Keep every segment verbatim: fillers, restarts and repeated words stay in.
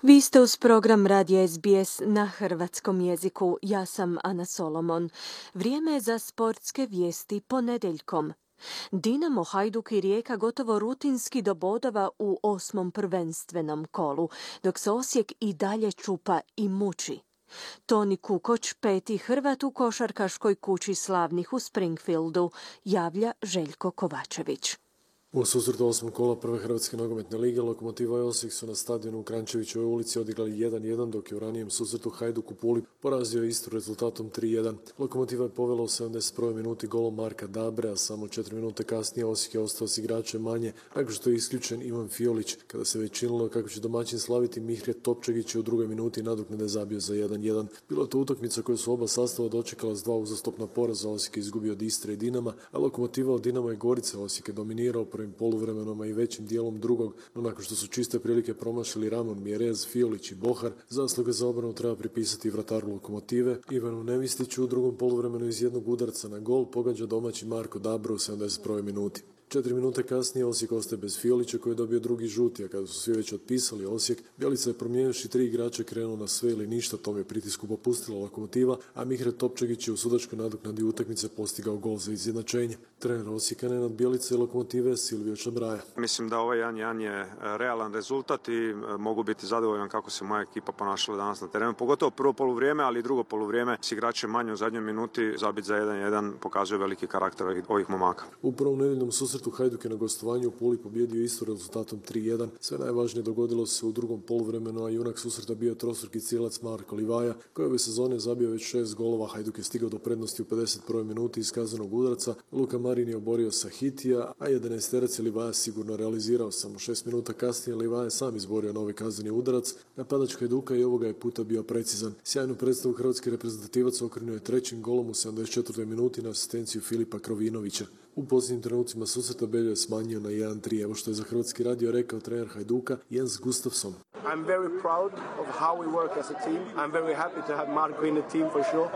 Vi ste uz program Radija S B S na hrvatskom jeziku. Ja sam Ana Solomon. Vrijeme je za sportske vijesti ponedjeljkom. Dinamo, Hajduk i Rijeka gotovo rutinski do bodova u osmom prvenstvenom kolu, dok se Osijek i dalje čupa i muči. Toni Kukoč, peti Hrvat u košarkaškoj kući slavnih u Springfieldu, javlja Željko Kovačević. U susretu osmog kola prve Hrvatske nogometne lige Lokomotiva i Osijek su na stadionu u Kranjčevićevoj ulici odigrali jedan jedan, dok je u ranijem susretu Hajduk u Puli porazio Istru rezultatom tri jedan. Lokomotiva je povela u sedamdeset prvoj minuti golom Marka Dabre, a samo četiri minute kasnije Osijek je ostao s igračem manje, nakon što je isključen Ivan Fiolić. Kada se već činilo kako će domaćin slaviti, Mihret Topčagić je u drugoj minuti nadoknade zabio za jedan jedan. Bila je to utakmica koju su oba sastava dočekala s dva uzastopna poraza. Osijek je izgubio od Istre i Dinama, a Lokomotiva od Dinama i Gorice. Osijek je dominirao prvim poluvremenom i većim dijelom drugog, no nakon što su čiste prilike promašili Ramon, Mjerez, Fiolić i Bohar, zasluge za obranu treba pripisati vrataru Lokomotive Ivanu Nevistiću. U drugom poluvremenu iz jednog udarca na gol pogađa domaći Marko Dabro u sedamdeset prvoj minuti. Četiri minute kasnije Osijek ostaje bez Fiolića koji je dobio drugi žuti, a kada su svi već otpisali Osijek, Bjelica je promijenivši tri igrača krenuo na sve ili ništa, tom je pritisku popustila Lokomotiva, a Mihret Topčagić je u sudačkoj nadoknadi utakmice postigao gol za izjednačenje. Trener Osijeka Nenad Bjelica i Lokomotive Silvio Čabraja. Mislim da ovaj jedan jedan je realan rezultat i mogu biti zadovoljan kako se moja ekipa ponašala danas na terenu, pogotovo prvo poluvrijeme, ali i drugo poluvrijeme s igračem manje u zadnjoj minuti zabit za jedan jedan pokazuje veliki karakter ovih momaka. U prvom nedeljnom susretu Hajduk je na gostovanju u Puli pobjedio Istru rezultatom tri jedan. Sve najvažnije dogodilo se u drugom poluvremenu, a junak susreta bio trostruki cijelac Marko Livaja, koji je ove sezone zabio već šest golova. Hajduk je stigao do prednosti u pedeset prvoj minuti iz kaznenog udarca. Luka Marin je oborio Sahitija, a jedanaesterac je Livaja sigurno realizirao. Samo šest minuta kasnije Livaja je sam izborio novi kazneni udarac. Napadač Hajduka i ovoga je puta bio precizan. Sjajnu predstavu hrvatski reprezentativac okrenuo je trećim golom u sedamdeset četvrtoj minuti na asistenciju Filipa Krovinovića. U posljednjim trenucima susreta Beljo je smanjio na jedan tri. Evo što je za Hrvatski radio rekao trener Hajduka Jens Gustafsson. I'm very proud of how we work as a team. I'm very happy to have Marko in the team for sure.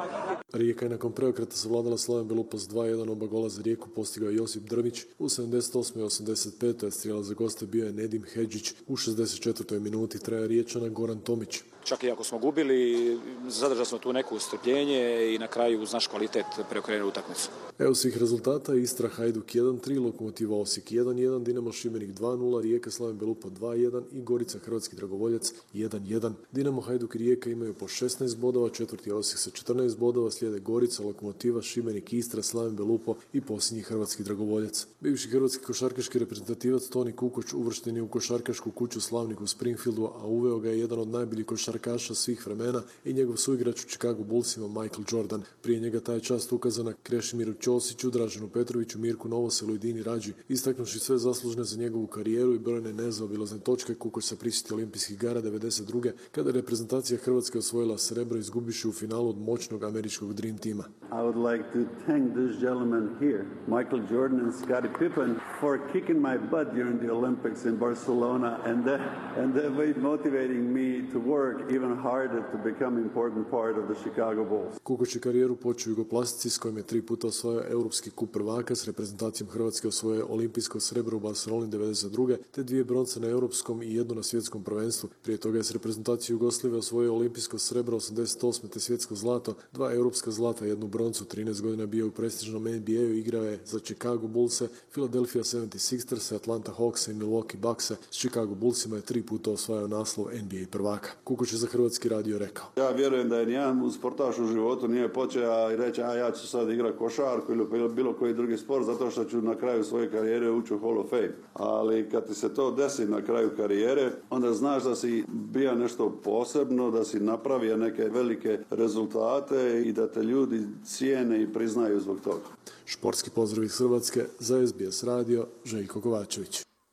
Rijeka je nakon preokreta savladala Slaven Belupo s dva jedan. Oba gola za Rijeku postigao je Josip Drmić u sedamdeset osmoj i osamdeset petoj. Strijelac za goste bio je Nedim Hedžić u šezdeset četvrtoj minuti. Trener Riječana Goran Tomić. Čak i ako smo gubili, zadržali smo tu neku strpljenje i na kraju uz naš kvalitet preokrenuli utakmicu. Evo svih rezultata: Istra Hajduk jedan tri, Lokomotiva Osijek jedan jedan, Dinamo Šibenik dva nula, Rijeka Slaven Belupo dva jedan i Gorica Hrvatski Dragovoljac jedan jedan. Dinamo, Hajduk i Rijeka imaju po šesnaest bodova, četvrti je Osijek sa četrnaest bodova, slijede Gorica, Lokomotiva, Šibenik, Istra, Slaven Belupo i posljednji Hrvatski Dragovoljac. Bivši hrvatski košarkaški reprezentativac Toni Kukoč uvršten je u košarkašku kuću slavnih u Springfieldu, a uveo ga je jedan od najboljih košarkaša svih vremena i njegov suigrač u Chicago Bullsima Michael Jordan. Prije njega taj čast ukazana Krešimiru Ćosiću, Draženu Petroviću, Mirku Novoselu i Dini Rađi. Istaknuši sve zaslužne za njegovu karijeru i brojne nezaobilazne točke, Kukoč se prisjetio olimpijskih igara devedeset druge. kada je reprezentacija Hrvatske osvojila srebro izgubiši u finalu od moćnog američkog Dream Teama. I would like to thank this gentleman here, Michael Jordan and Scottie Pippen, for kicking my butt during the Olympics in Barcelona and then, and then motivating me to work even harder to become an important part of the Chicago Bulls. Kukoč je karijeru počeo u Jugoplastici s kojim je tri puta osvojio europski kup prvaka, s reprezentacijom Hrvatske osvojio olimpijsko srebro u Barceloni devedeset druge te dvije bronce na europskom i jednu na svjetskom prvenstvu. Prije toga je s reprezentacijom Jugoslavije osvojio olimpijsko srebro osamdeset osme te svjetsko zlato, dva europska zlata, jednu broncu. trinaest godina bio u prestižnom N B A-u, igrao je za Chicago Bullse, Philadelphia sedamdeset šesters, Atlanta Hawks i Milwaukee Buckse. S Chicago Bullsima je tri puta osvajao naslov N B A prvaka. Kukoč je za Hrvatski radio rekao: Ja vjerujem da je nijedan sportaš u životu nije počeo i reći a ja ću sad igrati košarku ili bilo koji drugi sport zato što ću na kraju svoje karijere ući u Hall of Fame. Ali kad ti se to desi na kraju karijere, onda znaš da si bio nešto posebno, da si napravio neke velike rezultate i da te ljudi cijene i priznaju zbog toga. Športski pozdrav iz Hrvatske za S B S radio, Željko Kovačević.